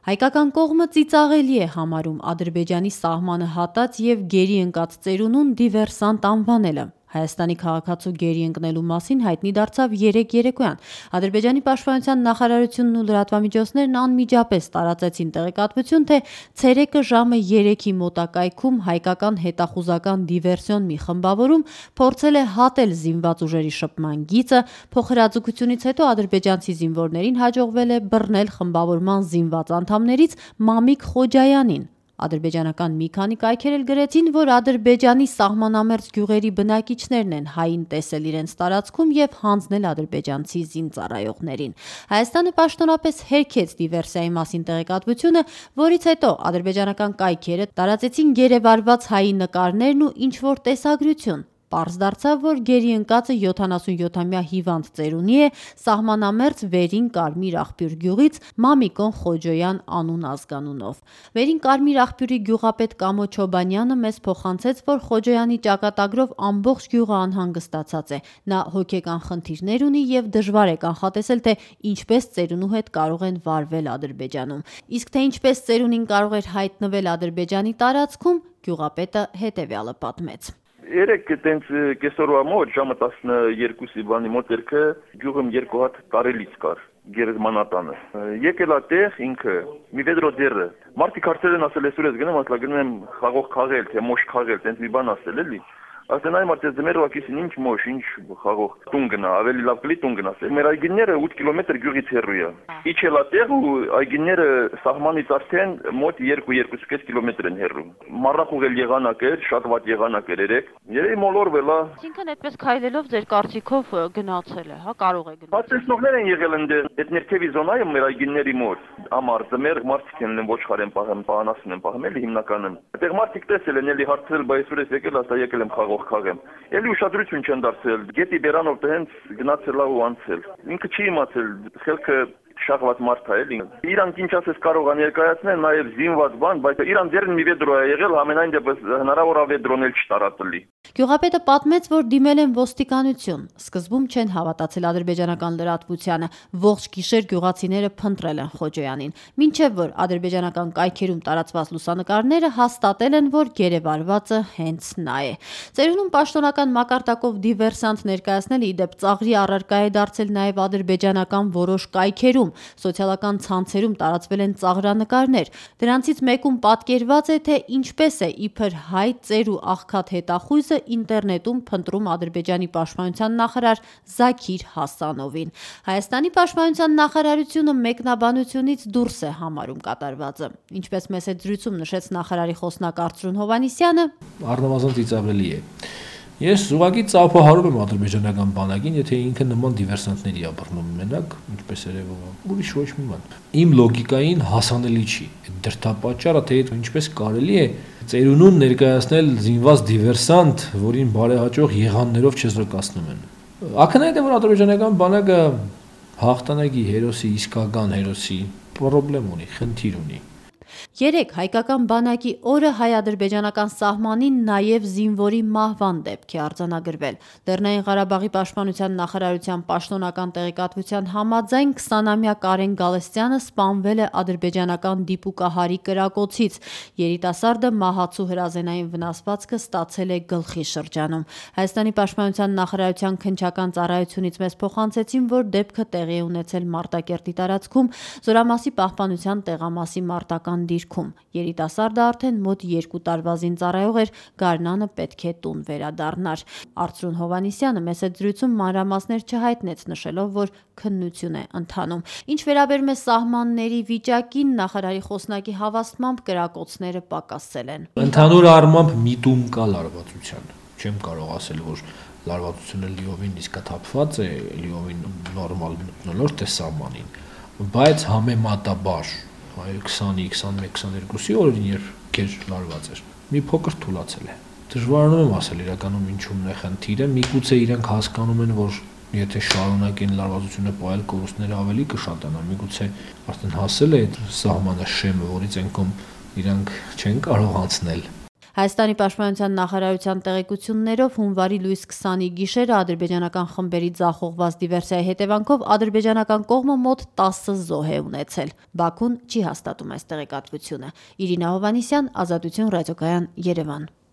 Հայկական կողմը ծիծաղելի է համարում Ադրբեջանի սահմանը հատած և գերի ընկած ծերունուն դիվերսանտ անվանելը։ Հայաստանի քաղաքացու գերի ընկնելու մասին հայտնի դարձավ երեկ երեկոյան։ Ադրբեջանի պաշտպանության նախարարությունն ու լրատվամիջոցներն անմիջապես տարածեցին տեղեկատվություն, թե ցերեկը ժամը 3-ի մոտակայքում հայկական հետախուզական դիվերսիոն մի խմբավորում փորձել է հատել զինված ուժերի շփման գիծը, փոխհրաձգությունից հետո ադրբեջանցի զինվորներին հաջողվել է բռնել խմբավորման զինված անդամներից Մամիկ Խոջայանին։ Ադրբեջանական մի քանի կայքեր էլ գրեցին, որ Ադրբեջանի սահմանամերձ գյուղերի բնակիչներն են հային տեսել իրենց տարածքում և հանձնել ադրբեջանցի զինծառայողներին։ Հայաստանը պաշտոնապես հերքեց դիվերսիայի մասին տեղեկատվությունը, որից հետո ադրբեջանական կայքերը տարածեցին գերեվարված հայի նկարներն ու ինչ-որ տեսագրություն։ Պարզ դարձավ, որ գերի ընկածը 77-ամյա հիվանդ ծերունի է սահմանամերձ Վերին Կարմիր աղբյուր գյուղից Մամիկոն Խոջոյան անուն ազգանունով։ Վերին Կարմիր աղբյուրի գյուղապետ Կամո Չոբանյանը մեզ փոխանցեց, որ Խոջոյանի ճակատագրով ամբողջ գյուղը անհանգստացած է։ Նա հոգեկան խնդիրներ ունի և դժվար է կանխատեսել, թե ինչպես ծերունու հետ կարող են վարվել Ադրբեջանում։ Իսկ թե ինչպես ծերունին կարող էր հայտնվել Ադրբեջանի տարածքում, գյուղապետը հետևյալը պատմեց։ Երեք տենց կեսօրվա մոտ ժամը 12-ի բանի մոտ երգը գյուղում 2 հատ կարելից կար գերեզմանատանը։ Եկել է տեղ ինքը մի վեդրո ձեռը։ Մարդիկ հարցել են ասել այսօր ես գնամ, ասලා գնում եմ խաղող քաղել, թե մոշ քաղել, տենց մի բան ասել էլի։ Ասեն այ մարդ ձմերով ակիսին ինչ մոշ, ինչ խաղող տուն գնա, ավելի լավ կլի տուն գնաս։ Մեր այգիները 8 կիլոմետր գյուղից հեռու է։ Իջել է տեղ ու այգիները սահմանից արդեն մոտ 2-2.5 կիլոմետր են հեռու։ Մառախուղ էլ եղանակ էր, շատ վատ եղանակ էր երեք։ Երևի մոլորվել է։ Այսինքն այդպես քայլելով ձեր կարծիքով գնացել է, հա, կարող է գնալ։ Պատասխաններ են եղել այդ ներքևի զոնայում մեր այգիների մոտ։ Ամառ ձմեր մարդիկ են ոչխար են պահում, պահանասն են պահում էլի հիմնականում։ Այդտեղ մարդիկ տեսել են էլի հարցրել, բայց այսօր ես եկել, ասա եկել եմ խաղող քաղեմ։ Էլի ուշադրություն չեն դարձել։ Գետի բերանով դե հենց գնացել ու անցել։ Ինքը չի իմացել, խելքը շաղված մարդ է էլի։ Իրանք ինչ ասես կարող են ներկայացնել նաև զինված բան, բայց իրան ձեռն մի վեդրո է եղել, ամենայն դեպս հնարավոր է վեդրոն էլ չտարածելի։ Գյուղապետը պատմեց, որ դիմել են ոստիկանություն։ Սկզբում չեն հավատացել ադրբեջանական լրատվությանը։ Ողջ գիշեր գյուղացիները փնտրել են Խոջոյանին, մինչև որ ադրբեջանական կայքերում տարածված լուսանկարները հաստատել են, որ գերեվարվածը հենց նա է։ Ծերունում պաշտոնական մակարդակով դիվերսանտ ներկայացնելը ի դեպ ծաղրի առարկա է դարձել նաև ադրբեջանական որոշ կայքերում։ Սոցիալական ցանցերում տարածվել են ծաղրանկարներ։ Դրանցից մեկում պատկերված է, թե ինչպես է իբր հայ ծեր ու աղքատ հետախույզը ինտերնետում փնտրում Ադրբեջանի պաշտպանության նախարար Զաքիր Հասանովին։ Հայաստանի պաշտպանության նախարարությունը մեկնաբանությունից դուրս է համարում կատարվածը։ Ինչպես մեծ զրույցում նշեց նախարարի խոսնակ Արծրուն Հովհաննիսյանը, առնվազն ծիծաղելի է։ Ես ուղղակի ծափահարում եմ ադրբեջանական բանակին, եթե ինքը նման դիվերսանտների է բռնում մենակ, ինչպես երևում է, ուրիշ ոչ մի բան։ Իմ լոգիկային հասանելի չի։ Դրդապատճառը թե ինչպես կարելի է ծերունուն ներկայացնել զինված դիվերսանտ, որին բարեհաճող եղաններով չզրկացնում են։ Ակնհայտ է, որ ադրբեջանական բանակը հաղթանակի հերոսի, իսկական հերոսի պրոբլեմ ունի, խնդիր ունի։ Երեկ հայկական բանակի օրը հայ-ադրբեջանական սահմանին նաև զինվորի մահվան դեպք է արձանագրվել։ Լեռնային Ղարաբաղի պաշտպանության նախարարության պաշտոնական տեղեկատվության համաձայն 20-ամյա Կարեն Գալստյանը սպանվել է ադրբեջանական դիպուկահարի կրակոցից։ Երիտասարդը մահացու հրազենային վնասվածքը ստացել է գլխի շրջանում։ Հայաստանի պաշտպանության նախարարության քննչական ծառայությունից մեզ փոխանցեցին, որ դեպքը տեղի է ունեցել Մարտակերտի տարածքում Զորամասի պահպանության տեղամասի մարտական դիրքում։ Երիտասարդը արդեն մոտ 2 տարվա զինծառայող էր, գարնանը պետք է տուն վերադառնար։ Արծրուն Հովհաննիսյանը մեծ զրույցում մանրամասներ չհայտնեց, նշելով, որ քննություն է ընթանում։ Ինչ վերաբերում է սահմանների վիճակին, նախարարի խոսնակի հավաստմամբ կրակոցները պակասել են։ Ընդհանուր առմամբ միտում կա լարվածության։ Չեմ կարող ասել, որ լարվածությունը լիովին իսկաթափված է, լիովին նորմալ մտնոլորտ է սահմանին, բայց համեմատաբար 20-ի, 21, 22-ի օրերին, երբ քեջ լարված էր, մի փոքր թուլացել է։ Դժվարանում եմ ասել իրականում ինչումն է խնդիրը, միգուցե իրենք հասկանում են, որ եթե շարունակեն լարվածությունը պահել, կորուստները ավելի կշատանան, միգուցե արդեն հասել է այդ սահմանը շեմը, որից ենքում իրանք չեն կարող անցնել։ Հայաստանի պաշտպանության նախարարության տեղեկություններով հունվարի լույս 20-ի գիշերը ադրբեջանական խմբերի ձախողված դիվերսիայի հետևանքով ադրբեջանական կողմը մոտ 10 զոհ է ունեցել։ Բաքուն չի հաստատում այս տեղեկատվությունը։ Իրինա Հովհաննիսյան, Ազատություն ռադիոկայան, Երևան։